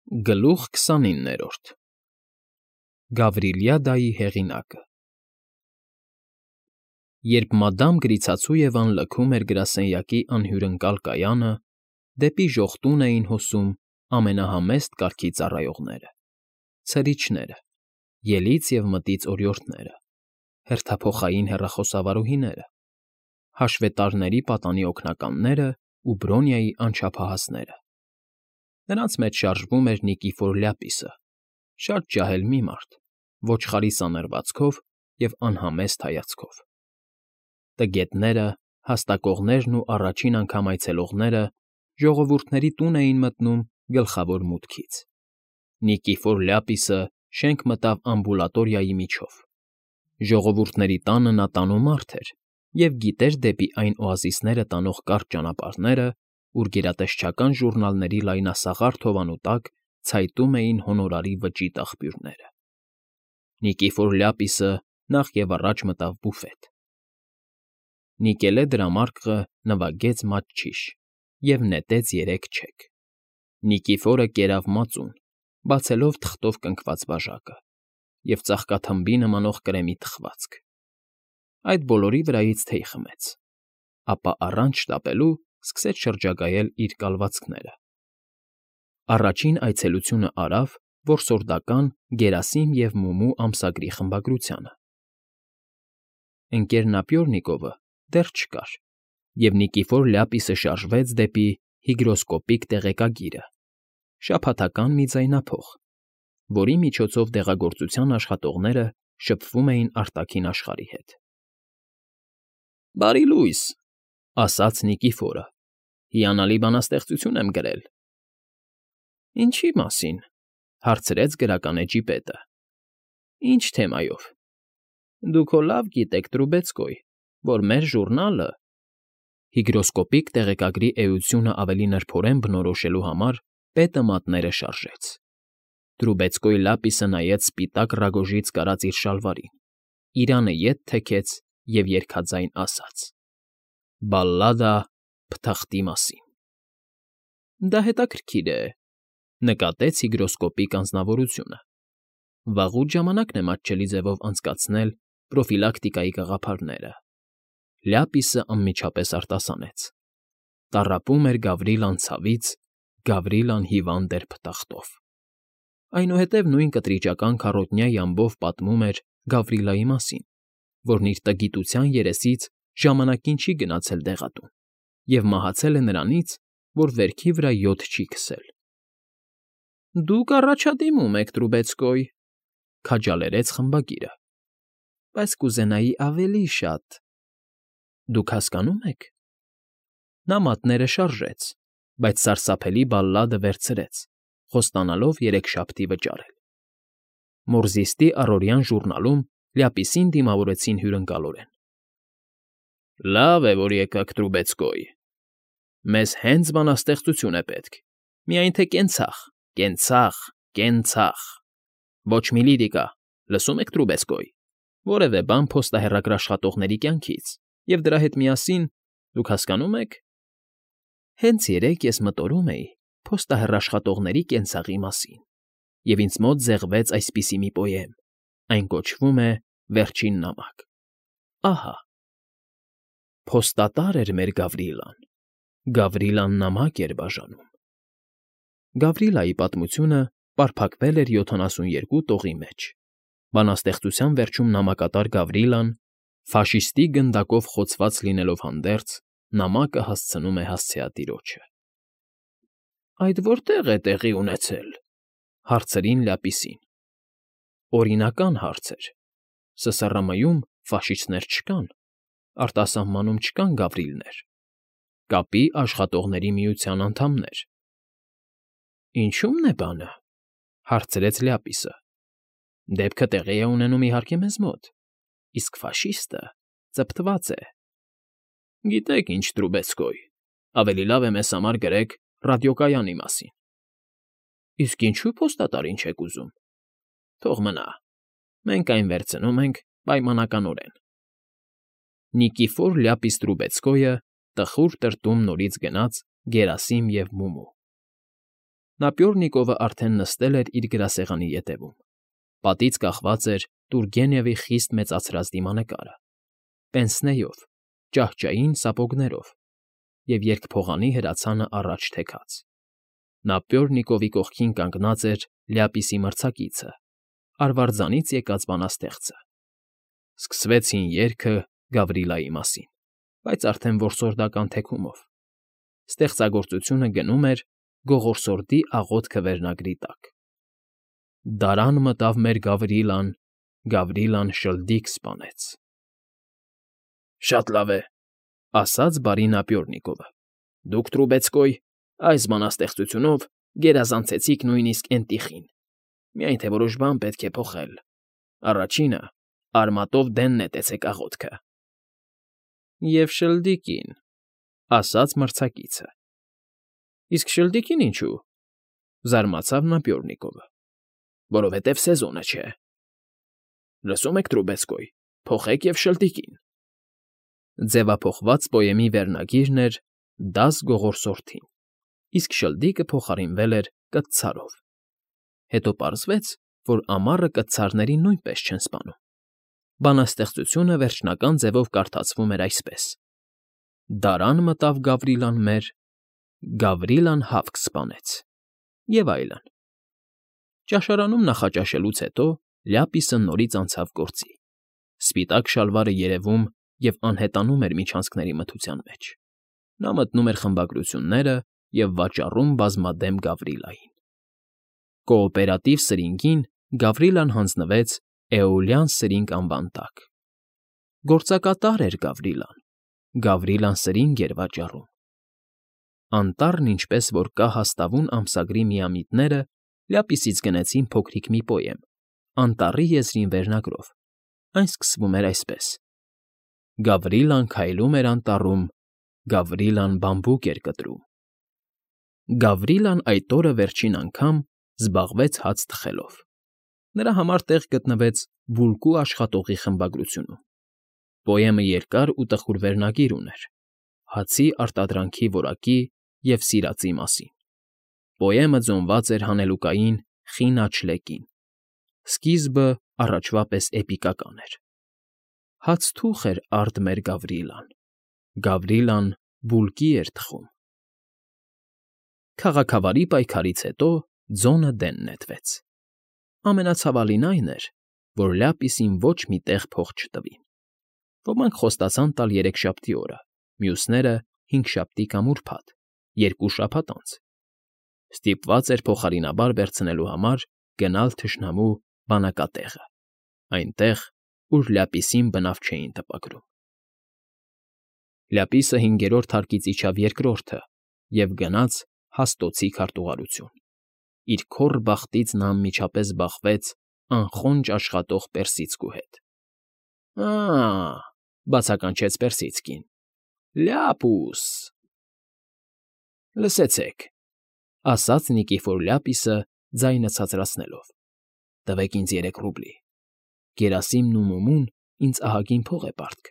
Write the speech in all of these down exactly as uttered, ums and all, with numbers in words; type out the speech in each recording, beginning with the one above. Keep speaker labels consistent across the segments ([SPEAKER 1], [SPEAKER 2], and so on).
[SPEAKER 1] Գլուխ քսանիններորդ Գավրիլյադայի հեղինակը Երբ մադամ Գրիցացույևան լքում էր գրասենյակի անհյուրընկալ կայանը, դեպի ժողտուն էին հոսում ամենահամեստ կարգի ծառայողները, ցրիչները, ելից և մտից օրիորդները, հերթափոխային հեռախոսավարուհիները, հաշվետարների պատանի օգնականներն ու Բրոնյայի անչափահասները. նրանց մեջ շարժվում էր Նիկիֆոր Լյապիսը, շատ ջահել մի մարդ, ոչխարի սանրվածքով և անհամեստ հայացքով. տգետները, հաստակողներն ու առաջին անգամ այցելողները ժողովուրդների տուն էին մտնում գլխավոր մուտքից. Նիկիֆոր Լյապիսը շենք մտավ ամբուլատորիայի միջով. ժողովուրդների տանը նա տանու մարդ էր և գիտեր դեպի այն օազիսները տանող կարճ ճանապարհները, ուր գերատեսչական ժուռնալների լայնասաղարթ հովանու տակ ցայտում էին հոնորարի վճիտ աղբյուրները. Նիկիֆոր Լյապիսը նախ և առաջ մտավ բուֆետ. Նիկելե դրամարկղը նվագեց մատչիշ և նետեց երեք չեք. Նիկիֆորը կերավ մածուն, բացելով թղթով կնքված բաժակը և ծաղկաթմբի նմանող կրեմի թխվածք. այդ բոլորի վրայից թեյ խմեց, ապա առանց շտապելու սկսեց շրջագայել իր կալվածքները. առաջին այցելությունը արավ որսորդական Գերասիմ և Մումու ամսագրի խմբագրությանը. Ընկ. Նապյորնիկովը դեռ չկար, և Նիկիֆոր Լյապիսը շարժվեց դեպի հիգրոսկոպիկ տեղեկագիրը, շաբաթական մի ձայնափող, որի միջոցով դեղագործության աշխատողները շփվում էին արտաքին աշխարհի հետ։ ֊ Բարի լույս, ֊ ասաց Նիկիֆորը, ֊ հիանալի բանաստեղծություն եմ գրել։ ֊ Ինչի՞ մասին, ֊ հարցրեց գրական էջի պետը։ ֊ Ինչ թեմայով։ ֊ Դուք հո լավ գիտեք, Տրուբեցկոյ, որ մեր ժուռնալը… Հիգրոսկոպիկ տեղեկագրի էությունն ավելի նրբորեն բնորոշելու համար պետը մատները շարժեց. Տրուբեցկոյ Լյապիսը նայեց սպիտակ ռագոժից կարած իր շալվարին, իրանը ետ թեքեց և երգաձայն ասաց. «Բալլադա Փթախտի մասին»։ ֊ Դա հետաքրքիր է, ֊ նկատեց հիգրոսկոպիկ անձնավորությունը։ Վաղուց ժամանակն է մատչելի ձևով անցկացնել պրոֆիլակտիկայի գաղափարները։ Լյապիսը անմիջապես արտասանեց. տառապում էր Գավրիլան ցավից, Գավրիլան հիվանդ էր փթախտով։ Այնուհետև նույն կտրիճական քառոտնյա ամբով պատմում էր Գավրիլայի մասին, որն իր տգիտության երեսից ժամանակին չի գնացել դեղատուն և մահացել է նրանից, որ վերքի վրա յոթ չի քսել։ ֊ Դուք առաջադիմում եք, Տրուբեցկոյ, ֊ քաջալերեց խմբագիրը, ֊ բայց կուզենայի ավելի շատ… Դուք հասկանո՞ւմ եք… Նա մատները շարժեց, բայց սարսափելի բալլադը վերցրեց, խոստանալով երեքշաբթի վճարել։ Մորզիստի առօրյան ժուռնալում Լյապիսին դիմավորեցին հյուրընկալորեն. ֊ Լավ է, որ եկաք, Տրուբեցկոյ… Մեզ հենց բանաստեղծություն է պետք, միայն թե կենցաղ, կենցաղ, կենցաղ… Ոչ մի լիրիկա, լսո՞ւմ եք, Տրուբեցկոյ… Որևէ բան փոստահեռագրաշխատողների կյանքից և դրա հետ միասին, դուք հասկանո՞ւմ եք… Հենց երեկ ես մտորում էի փոստահեռաշխատողների կենցաղի մասին, և ինձ մոտ զեղվեց այսպիսի մի պոեմ, այն կոչվում է «Վերջին նամակ»… Ահա… Փոստատար էր մեր Գավրիլան, Գավրիլան նամակ էր բաժանում… Գավրիլայի պատմությունը պարփակվել էր յոթանասունյոթ տողի մեջ, բանաստեղծության վերջում նամակատար Գավրիլան, ֆաշիստի գնդակով խոցված լինելով հանդերձ, նամակը հասցնում է հասցեատիրոջը։ ֊ Այդ որտե՞ղ է տեղի ունեցել, ֊ հարցրին Լյապիսին։ ֊ Օրինական հարց էր… ՍսռՄ֊ում ֆաշիստներ չկան, արտասահմանում չկան Գավրիլներ, կապի աշխատողների միության անդամներ… ֊ Ինչո՞ւմն է բանը, ֊ հարցրեց Լյապիսը։ ֊ Դեպքը տեղի է ունենում, իհարկե, մեզ մոտ, իսկ ֆաշիստը ծպտված է… Գիտեք ինչ, Տրուբեցկոյ, ավելի լավ է մեզ համար գրեք ռադիոկայանի մասին… Իսկ ինչո՞ւ փոստատարին չեք ուզում… Թող մնա, մենք այն վերցնում ենք պայմանականորեն… Նիկիֆոր Լյապիս Տրուբեցկոյը տխուր տրտում նորից գնաց Գերասիմ և Մումու։ Նապյորնիկովը արդեն նստել էր իր գրասեղանի ետևում. պատից կախված էր Տուրգենևի խիստ մեծացրած դիմանկարը, պենսնեով, ճահճային սապոգներով և երկփողանի հրացանը առաջ թեքած. Նապյորնիկովի կողքին կանգնած էր Լյապիսի մրցակիցը, արվարձանից եկած բանաստեղծը. սկսվեցին երգը Գավրիլայի մասին, բայց արդեն որսորդական թեքումով. ստեղծագործությունը գնում էր «Գողորսորդի աղոթքը» վերնագրի տակ. Դարան մտավ մեր Գավրիլան, Գավրիլան շլդիկ սպանեց։ Շատ լավ է, ասաց բարի Նապյորնիկովը, դուք, Տրուբեցկոյ, այս բանաստեղծությունով գերազանցեցիք նույնիսկ Էնտիխին, միայն թե որոշ բան պետք է փոխել։ Առաջինը՝ արմատով դեն նետեցեք աղոթքը։ Եվ շլդիկին, ասաց մրցակիցը։ Իսկ շլդիկին ինչու՞, զարմացավ Նապյորնիկովը։ Որովհետև սեզոնը չէ։ Լսում եք, Տրուբեցկոյ, փոխեք և շլդիկին։ Ձևափոխված պոեմի վերնագիրն էր «Դաս Գողորսորդին», իսկ շլդիկը փոխարինվել էր կտցարով։ Հետո պարզվեց, որ ամառը կտցարներին նույնպես չեն սպանում։ Բանաստեղծությունը վերջնական ձևով կարդացվում էր այսպես. Դարան մտավ Գավրիլան մեր, Գավրիլան հավք սպանեց, և այլն։ Ճաշարանում նախաճաշելուց հետո Լյապիսը նորից անցավ գործի։ Սպիտակ շալվարը երևում և անհետանում էր միջանցքների մթության մեջ։ Նա մտնում էր խմբագրությունները և վաճառում բազմադեմ Գավրիլային։ Կոոպերատիվ սրինգին Գավրիլան հանձնվեց Էոլյան սրինգ անվան տակ։ Գործակատար էր Գավրիլան, Գավրիլան սրինգ էր վաճառում։ Անտառն ինչպես որ կա հաստավուն ամսագրի միամիտները Լյապիսից գնեցին փոքրիկ մի պոեմ, Անտառի եզրին վերնագրով, այն սկսվում էր այսպես. Գավրիլան քայլում էր անտառում, Գավրիլան բամբուկ էր կտրում։ Գավրիլան այդ օրը վերջին անգամ զբաղվեց հաց թխելով։ Նրա համար տեղ գտնվեց Բուլկու աշխատողի խմբագրությունում։ Պոեմը երկար ու տխուր վերնագիր ուներ. հացի արտադրանքի որակի և սիրածի մասին։ Պոեմը ձոնված էր հանելուկային խին աչլեկին։ Սկիզբը առաջվա պես էպիկական էր. Հաց֊թուխ էր արդ մեր Գավրիլան, Գավրիլան բուլկի էր թխում։ Քաղաքավարի պայքարից հետո ձոնը դեն նետվեց։ Ամենացավալին այն էր, որ Լյապիսին ոչ մի տեղ փող չտվին։ Ոմանք խոստացան տալ երեքշաբթի օրը, մյուսները՝ հինգշաբթի կամ ուրբաթ, երկու շաբաթ անց։ Ստիպված էր փոխարինաբար վերցնելու համար գնալ թշնամու բանակատեղը, այնտեղ, ուր Լյապիսին բնավ չէին տպագրում։ Լյապիսը հինգերորդ հարկից իջավ երկրորդը և գնաց Հաստոցի քարտուղարություն։ Իր քոռ բախտից նա անմիջապես բախվեց անխոնջ աշխատող Պերսիցկու հետ։ Ա՜, բացականչեց Պերսիցկին, Լյապուս… Լսեցեք, ասաց Նիկիֆոր Լյապիսը ձայնը ցածրացնելով, տվեք ինձ երեք ռուբլի, Գերասիմն ու Մումուն ինձ ահագին փող է պարտք։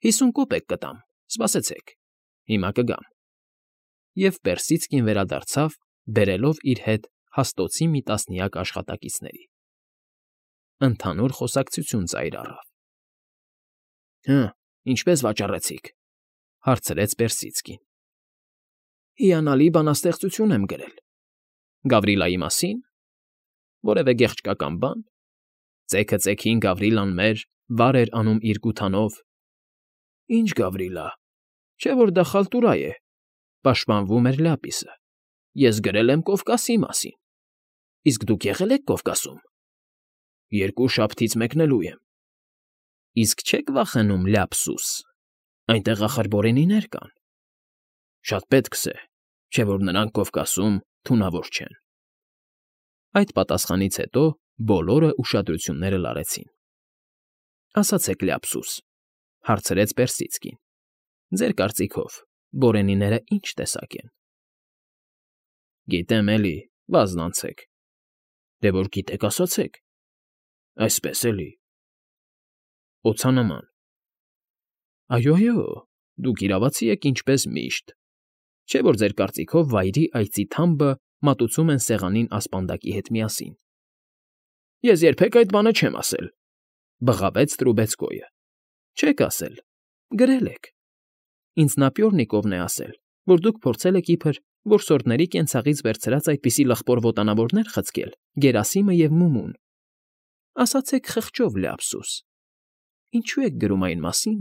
[SPEAKER 1] Հիսուն կոպեկ կտամ, սպասեցեք, հիմա կգամ։ Եվ Պերսիցկին վերադարձավ, բերելով իր հետ Հաստոցի մի տասնյակ աշխատակիցների։ Ընդհանուր խոսակցություն ծայր առավ։ Հը, ինչպե՞ս վաճառեցիք,֊ հարցրեց Պերսիցկին։ Հիանալի բանաստեղծություն եմ գրել։ Գավրիլայի մասին։ Որևէ գեղեցկական բան։ Ծեքը ծեքին Գավրիլան մեր վար էր անում իր գութանով։ Ինչ Գավրիլա, չէ՞ որ դա խալտուրայ է,֊ պաշտպանվում էր Լյապիսը։ Ես գրել եմ Կովկասի մասին։ Իսկ դուք եղե՞լ եք Կովկասում։ Երկու շաբթից մեկնելու եմ։ Իսկ չե՞ք վախենում Լյապսուս, այնտեղ ախր բորենիներ կան։ Շատ պետքս է, չէ՞ որ նրանք Կովկասում թունավոր չեն։ Այդ պատասխանից հետո բոլորը ուշադրությունները լարեցին։ Ասացեք, Լյապսուս, հարցրեց Պերսիցկին, ձեր կարծիքով բորենիները ի՞նչ տեսակ են։ Գիտեմ էլի, վազնանցեք։ Դե որ գիտեք, ասացեք։ Այսպես էլի։ Օձանման։ Այո, այո, դուք իրավացի եք ինչպես միշտ։ Չէ՞ որ ձեր կարծիքով վայրի այծի թամբը մատուցում են սեղանին ասպանդակի հետ միասին։ ֊ Ես երբեք այդ բանը չեմ ասել,֊ բղավեց Տրուբեցկոյը։ ֊ Չեք ասել, գրել եք. Ինձնապյորնիկովն է ասել, որ դուք փորձել եք իբր որսորդների կենցաղից վերցրած այդպիսի լխպոր ոտանավորներ խցկել Գերասիմը և Մումուն։ Ասացեք խղճով, Լեափսուս, ինչո՞ւ եք գրում այն մասին,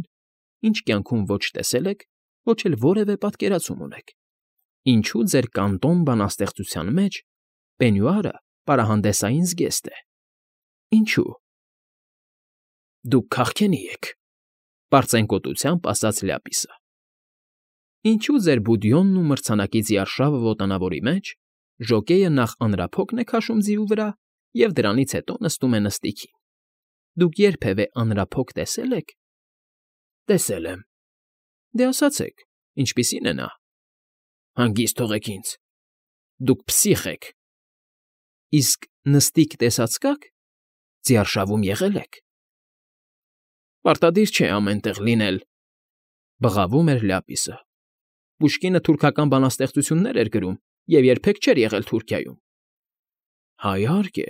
[SPEAKER 1] ինչ կյանքում ոչ տեսել եք, ոչ էլ որևէ պատկերացում ունեք։ Ինչո՞ւ ձեր կանտոն բանաստեղծության մեջ պենյուարը պարահանդեսային զգեստ է։ Ինչո՞ւ։ Դուք քաղքենի եք,֊ պարծենկոտությամբ ասաց Լյապիսը։ Ինչո՞ւ ձեր բուդյոնն ու մրցանակի ձիարշավը ոտանավորի մեջ ժոկեյը նախ անրափոկն է քաշում ձիու վրա և դրանից հետո նստում է նստիքին։ Դուք երբևէ անրափոկ տեսե՞լ եք։ Տեսել եմ։ Դե ասացեք, ինչպիսի՞ն է նա։ Հանգիստ թողեք ինձ։ Դուք պսիխ եք։ Իսկ նստիկ տեսած կաք։ Ձիարշավում եղել եք։ Պարտադիր չէ ամեն տեղ լինել,֊ բղավում էր Լյապիսը։ Պուշկինը թուրքական բանաստեղծություններ էր գրում և երբեք չէր եղել Թուրքիայում։ Հայհարկե,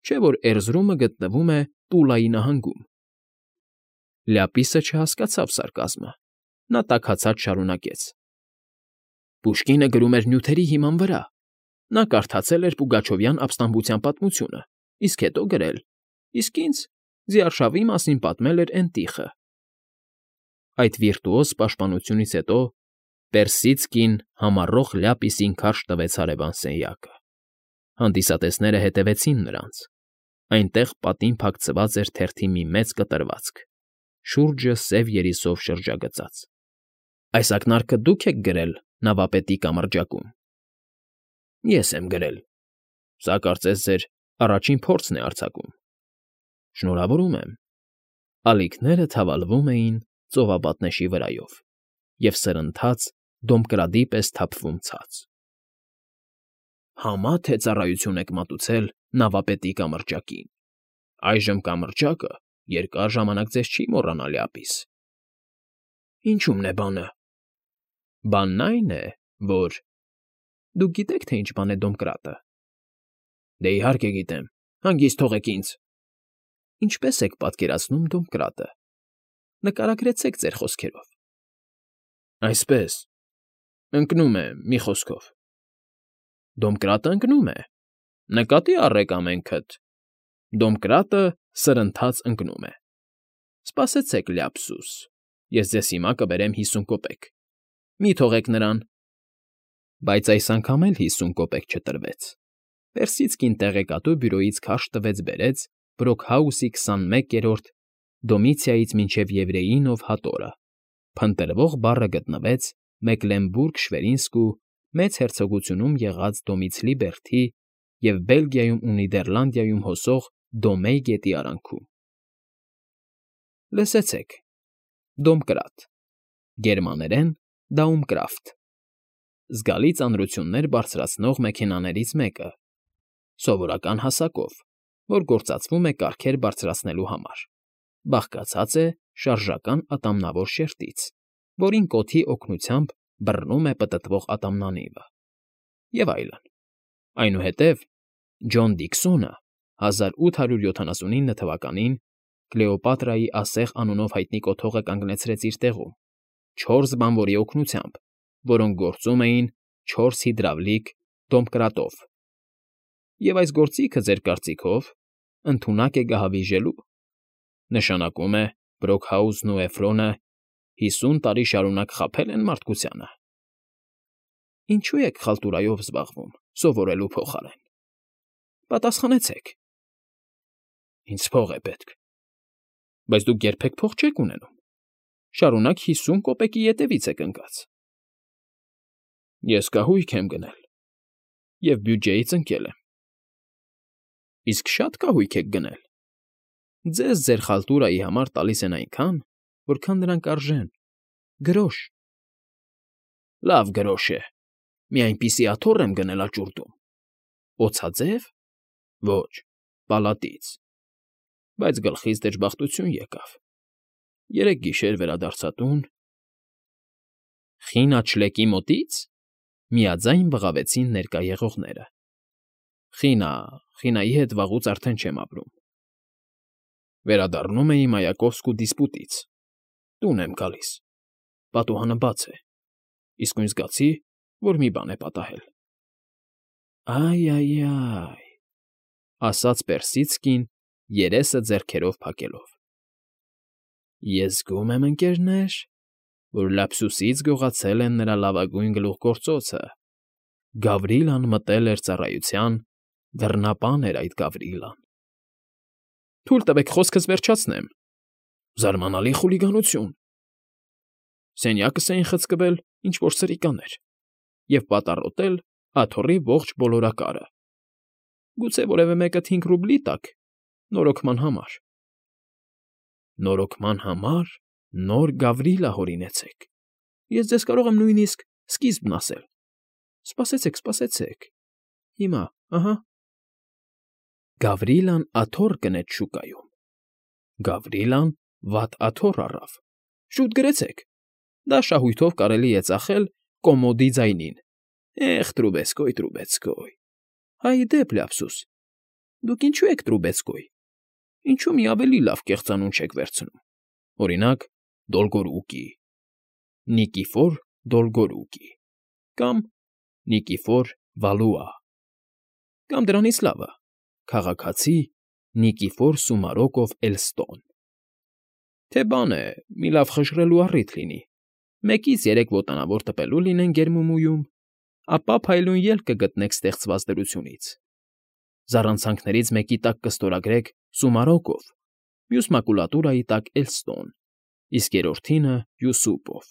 [SPEAKER 1] չէ՞ որ Էրզրումը գտնվում է Տուլայի նահանգում։ Լյապիսը չհասկացավ սարկազմը։ Նա տաքացած շարունակեց. Պուշկինը գրում էր նյութերի հիման վրա։ Նա կարդացել էր Պուգաչովյան ապստամբության պատմությունը, իսկ հետո գրել, իսկ ինձ ձիարշավի մասին պատմել էր էնտիխը։ Այդ վիրտուոզ պաշտպանությունից հետո Պերսիցկին համառոխ Լյապիսին քարշ տվեց հարևան սենյակը։ Հանդիսատեսները հետևեցին նրանց։ Այնտեղ պատին փակցված էր թերթի մի մեծ կտրվածք, շուրջը սև երիսով շրջագծած։ Այս ակնարկը դուք եք գրել նավապետի կամրջակում։ Ես եմ գրել։ Սա կարծես ձեր առաջին փորձն է արձակում։ Շնորհավորում եմ։ Ալիքները թավալվում էին ծովապատնեշի վրայով և սրընթաց դոմկրադի պես թափվում ցած։ Համա թե ծառայություն եք մատուցել նավապետի կամրջակին։ Այժմ կամրջակը երկար ժամանակ ձեզ չի մոռանա, Լյապիս։ Ինչու՞մն է բանը։ Բանն այն է, որ… Դուք գիտեք, թե ինչ բան է դոմկրատը։ Դե իհարկե գիտեմ, հանգիստ թողեք ինձ։ Ինչպե՞ս եք պատկերացնում դոմկրատը։ Նկարագրեցեք ձեր խոսքերով։ Այսպես… Ընկնում է, մի խոսքով։ Դոմկրատը ընկնում է։ Նկատի առեք ամենքդ… Դոմկրատը սրընթաց ընկնում է։ Սպասեցեք, Լյապսուս, ես ձեզ հիմա կբերեմ հիսուն կոպեկ։ Մի թողեք նրան։ Բայց այս անգամ էլ հիսուն կոպեկ չտրվեց։ Պերսիցկին տեղեկատու բյուրոյից քարշ տվեց բերեց Բրոքհաուսի քսանմեկերորդ Դոմիցիայից մինչև Եվրեյինով հատորը, փնտրվող բառը գտնվեց Մեկլենբուրգ֊Շվերինսկու մեծ հերցոգությունում եղած Դոմիցլի բերդի և Բելգիայում ու Նիդերլանդիայում հոսող Դոմեյ գետի արանքում։ Լսեցեք. Դոմկրատ, գերմաներեն Daumpkraft, զգալի ծանրություններ բարձրացնող մեքենաներից մեկը, սովորական հասակով, որ գործածվում է կառքեր բարձրացնելու համար, բաղկացած է շարժական ատամնավոր շերտից, որին կոթի օգնությամբ բռնում է պտտվող ատամնանիվը, և այլն։ Այնուհետև Ջոն Դիքսոնը հազար ութ հարյուր յոթանասունինը թվականին Կլեոպատրայի ասեղ անունով հայտնի կոթողը կանգնեցրեց իր տեղում, չորս բանվորի օգնությամբ, որոնք գործում էին չորս հիդրավլիկ դոմկրատով։ Եվ այս գործիքը, ձեր կարծիքով, ընդունակ է գահավիժելու։ Նշանակում է Բրոքհաուսն ու Էֆրոնը հիսուն տարի շարունակ խաբել են մարդկությանը։ Ինչու եք խալտուրայով զբաղվում, սովորելու փոխարեն։ Պատասխանեցեք։ Ինձ փող է պետք։ Բայց դուք երբեք փող չեք ունենում։ Շարունակ հիսուն կոպեկի ետևից եք ընկած։ Ես կահույք եմ գնել և բյուջեից ընկել եմ։ Իսկ շա՞տ կահույք եք գնել։ Ձեզ ձեր խալտուրայի համար տալիս են այնքան, որքան դրանք արժեն, գրոշ։ Լավ գրոշ է, մի այնպիսի աթոռ եմ գնել աճուրդում։ Օձաձե՞վ։ Ոչ, պալատից։ Բայց գլխից դժբախտություն եկավ։ Երեկ գիշեր վերադարձա տուն… Խին աչլեկի մոտի՞ց։ Միաձայն բղավեցին ներկա եղողները։ ֊ Խինա, Խինայի հետ վաղուց արդեն չեմ ապրում… Վերադառնում էի Մայակովսկու դիսպուտից, տուն եմ գալիս, պատուհանը բաց է, իսկույն զգացի, որ մի բան է պատահել։ ֊ Ա՜յ֊ա՜յ֊ա՜յ…֊ ասաց Պերսիցկին, երեսը ձեռքերով փակելով։ ֊ Ես զգում եմ, ընկերներ, որ լափսուսից գողացել են նրա լավագույն գլուխգործոցը… Գավրիլան մտել էր ծառայության, դռնապան էր այդ Գավրիլան… ֊ Թույլ տվեք խոսքս վերջացնեմ… Զարմանալի խուլիգանություն… Սենյակս էին խցկվել ինչ֊որ սրիկաներ և պատառոտել աթոռի ողջ ոլորակարը… Գուցե որևէ մեկը թինգ ռուբլի տաք նորոգման համար… ֊ Նորոգման համար նոր Գավրիլա հորինեցեք… Ես ձեզ կարող եմ նույնիսկ սկիզբն ասել… Սպասեցեք, սպասեցեք… Հիմա, ահա… Գավրիլան աթոռ կնեց շուկայում… Գավրիլան վատ աթոռ առավ… Շուտ գրեցեք… Դա շահույթով կարելի է ծախել կոմոդի ձայնին… Էխ, տրուբեցկոյ, տրուբեցկոյ… Հայդեպ, լափսուս… Դուք ինչո՞ւ եք տրուբեցկոյ… Ինչո՞ւ մի ավելի լավ կեղծանուն չեք վերցնում… Օրինակ, Դոլգորուկի, Նիկիֆոր Դոլգորուկի, կամ Նիկիֆոր Վալուա, կամ դրանից լավը՝ քաղաքացի Նիկիֆոր Սումարոկով Էլստոն… Թե բան է, մի լավ խժռելու առիթ լինի, մեկից երեք ոտանավոր տպելու լինեն գերմումույում, ապա փայլուն ելք կգտնեք ստեղծված դրությունից… Զառանցանքներից մեկի տակ կստորագրեք Սումարոկով, մյուս մակուլատուրայի տակ՝ Էլստոն, իսկ երրորդինը՝ Յուսուպով…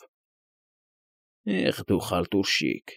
[SPEAKER 1] Էխ դու խալտուռշիկ…